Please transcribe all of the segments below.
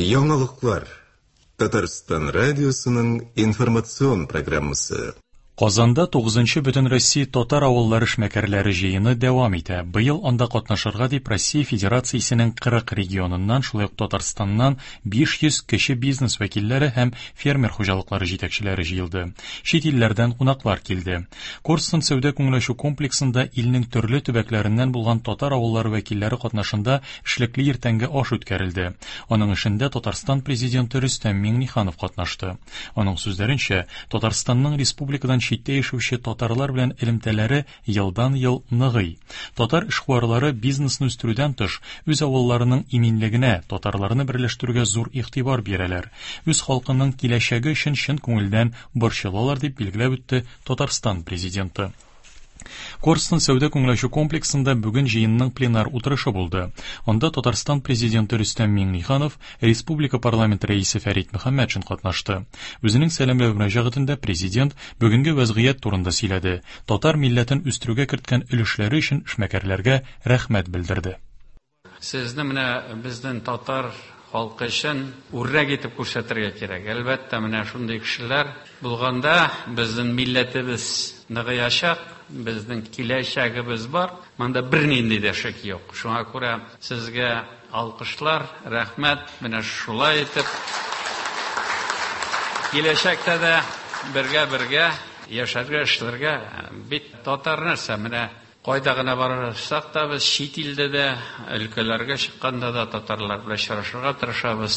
Яңалыклар. Татарстан радиосының информацион программасы. Казанда 9нчы Бөтенроссия татар авыллары эшмәкәрләре җыены дәвам итә. Быел анда катнашырга дип Россия Федерациясенең 40 регионыннан, шулай ук Татарстаннан 500 кече бизнес вәкилләре һәм фермер хуҗалыклары җитәкчеләре җыелды. Чит илләрдән кунаклар килде. Корстон сәүдә-күңел ачу комплексында илнең төрле төбәкләреннән булган татар авыллары вәкилләре катнашында эшлекле иртәнге аш үткәрелде. Аның эшендә Татарстан Президенты Рөстәм Миңнеханов катнашты. Аның сүзләренчә, Татарстанның республикадан читтә яшәүче татарлар белән элемтәләре елдан-ел ныгый. Татар эшкуарлары бизнесны үстерүдән тыш, үз авылларының иминлегенә, татарларны берләштерүгә зур игътибар бирәләр. Үз халкының киләчәге өчен чын күңелдән борчылалар, дип билгеләп үтте Татарстан Президенты. Корстон сәүдә-күңел ачу комплексында бүген җыенның пленар утырышы булды. Анда Татарстан Президенты Рөстәм Миңнеханов, республика парламент рәисе Фәрит Мөхәммәтшин катнашты. Үзенең сәламләү мөрәҗәгатендә президент бүгенге вәзгыять турында сөйләде, татар милләтен үстерүгә керткән өлешләре өчен эшмәкәрләргә рәхмәт белдерде. Сезне менә безнең татар халкы өчен үрнәк итеп күрсәтергә кирәк. Әлбәттә, менә шундый кешеләр булганда безнең милләтебез ныгыячак, безнең киләчәгебез бар. Монда бернинди дә шик юк. Шуңа күрә сезгә алкышлар, рәхмәт. Менә шулай итеп киләчәктә дә бергә-бергә яшәргә, эшләргә. Бит татар нәрсә, менә Кайда гына барсак та без, чит илдә дә, өлкәләргә чыкканда да татарлар белән очрашырга тырышабыз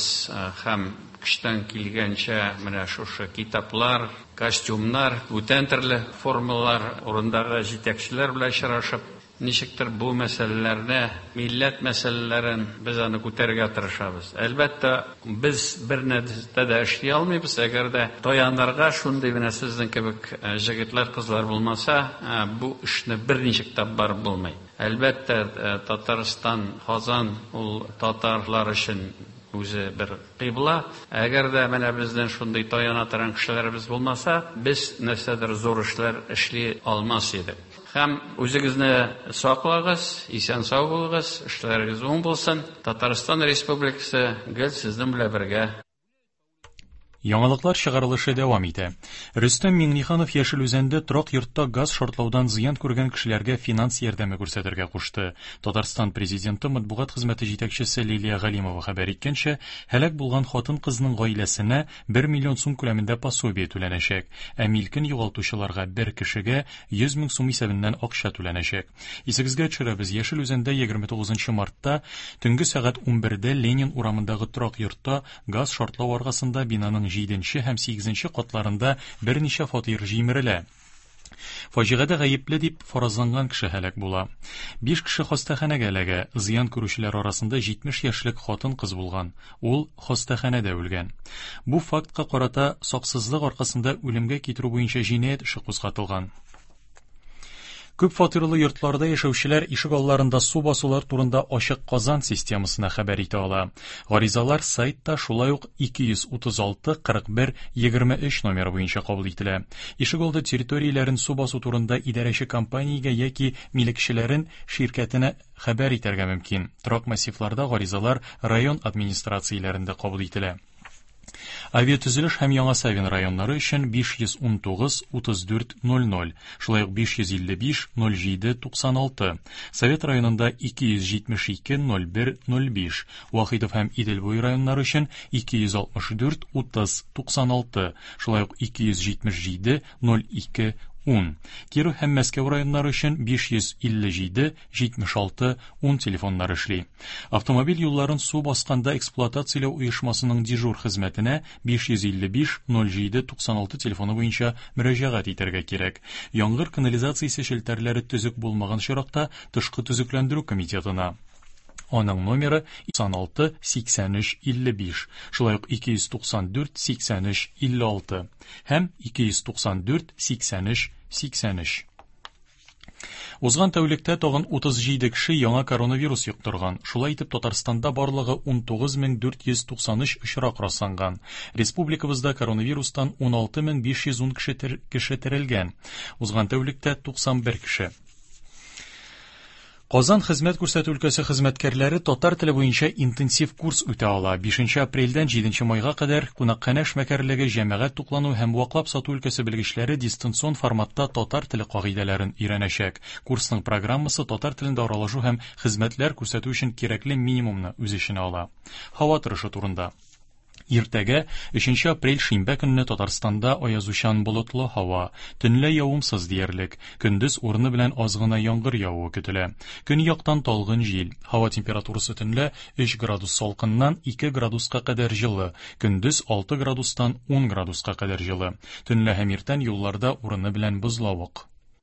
һәм көчтән килгәнчә менә шушы китаплар, костюмнар, бүтән төрле формалар, урындагы җитәкчеләр белән очрашып, ничектер бу мәсьәләләрне, милләт мәсьәләләрен без аны күтәрергә тырышабыз. Әлбәттә, без бер нәрсә дә эшли алмыйбыз, әгәр дә таянырга шундый менә сезнең кебек җегетләр, кызлар булмаса, бу эшне берничек тә барып булмый. Әлбәттә, Татарстан, Казан ул татарлар өчен үзе бер кыйбла. Әгәр дә менә безнең шундый таяна торган кешеләребез булмаса, без нәрсәдер зур эшләр эшли алмас идек. Һәм үзегезне саклагыз, исән-сау булыгыз, эшләрегез уң булсын. Татарстан Республикасы гел сезнең белән бергә. Яңалыклар чыгарылышы дәвам итә. Рөстәм Миңнеханов Яшел Үзәндә торак йортта газ шартлаудан зыян күргән кешеләргә финанс ярдәме күрсәтергә кушты. Татарстан Президенты матбугат хезмәте җитәкчесе Лилия Галимова хәбәр иткәнчә, һәлак булган хатын-кызның гаиләсенә 1 миллион сум күләмендә пособие түләнәчәк, ә милкен югалтучыларга бер кешегә 100 мең сум исәбеннән акча түләнәчәк. Исегезгә төшерәбез, Яшел Үзәндә 29 мартта төнге сәгать 11дә Ленин урамындагы торак йортта газ шартлау аркасында бинаның җиденче һәм сигезенче катларында берничә фатир җимерелә. Фаҗигадә гаепле дип фаразланган кеше һәлак була. Биш кеше хастаханәгә эләгә. Зыян күрүчеләр арасында 70 яшьлек хатын-кыз булган. Ул хастаханәдә үлгән. Бу фактка карата саксызлык аркасында үлемгә китерү буенча җинаять эше кузгатылган. Күп фатирлы йортларда яшәүчеләр ишек алларында су басулар турында Ачык Казан системасына хәбәр итә ала. Гаризалар сайтта шулай ук 236 41 23 номеры буенча кабул ителә. Ишек алды территорияләрен су басу турында идарәче компаниягә яки милекчеләрен ширкәтенә хәбәр итәргә мөмкин. Торак массивларда гаризалар район администрацияләрендә кабул ителә. Авиатөзелеш һәм Яңа Савин районнары өчен 519 34 00, шулай ук 555 07 96, Совет районында 272 01 05, Вахитов һәм Идел буе районнары өчен 264 30 96, шулай ук 277 02 10, Киров һәм Мәскәү районнары өчен 557 76 10 телефоннары эшли. Автомобиль юлларын су басканда эксплуатацияләү оешмасының дежур хезмәтенә 555 07 96 телефоны буенча мөрәҗәгать итәргә кирәк. Яңгыр канализациясе челтәрләре төзек булмаган очракта тышкы төзекләндерү комитетына. Аның номеры 96 83 55, шулай ук 294 83 56 һәм 294 83 83. Узган тәүлектә тагын 37 кеше яңа коронавирус йоктырган. Шулай итеп, Татарстанда барлыгы 19493 очрак расланган. Республикабызда коронавирустан 16510 кеше, кеше терелгән. Узган тәүлектә 91 кеше. Казан хезмәт күрсәтү өлкәсе хезмәткәрләре татар теле буенча интенсив курс үтә ала. 5 апрельдән 7 майга кадәр кунакханә эшмәкәрлеге, җәмәгать туклану һәм ваклап сату өлкәсе белгечләре дистанцион форматта татар теле кагыйдәләрен өйрәнәчәк. Курсның программасы татар телендә аралашу һәм хезмәтләр күрсәтү өчен кирәкле минимумны үз эченә ала. Һава торышы турында. Иртәгә, 3 апрель шимбә көнне Татарстанда аязучан болытлы һава, төнлә явымсыз диярлек, көндез урыны белән аз гына яңгыр явуы көтелә. Көньяктан талгын җил. Һава температурасы төнлә 3 градус салкыннан 2 градуска кадәр җылы, көндез 6 градустан 10 градуска кадәр җылы. Төнлә һәм иртән юлларда урыны белән бозлавык.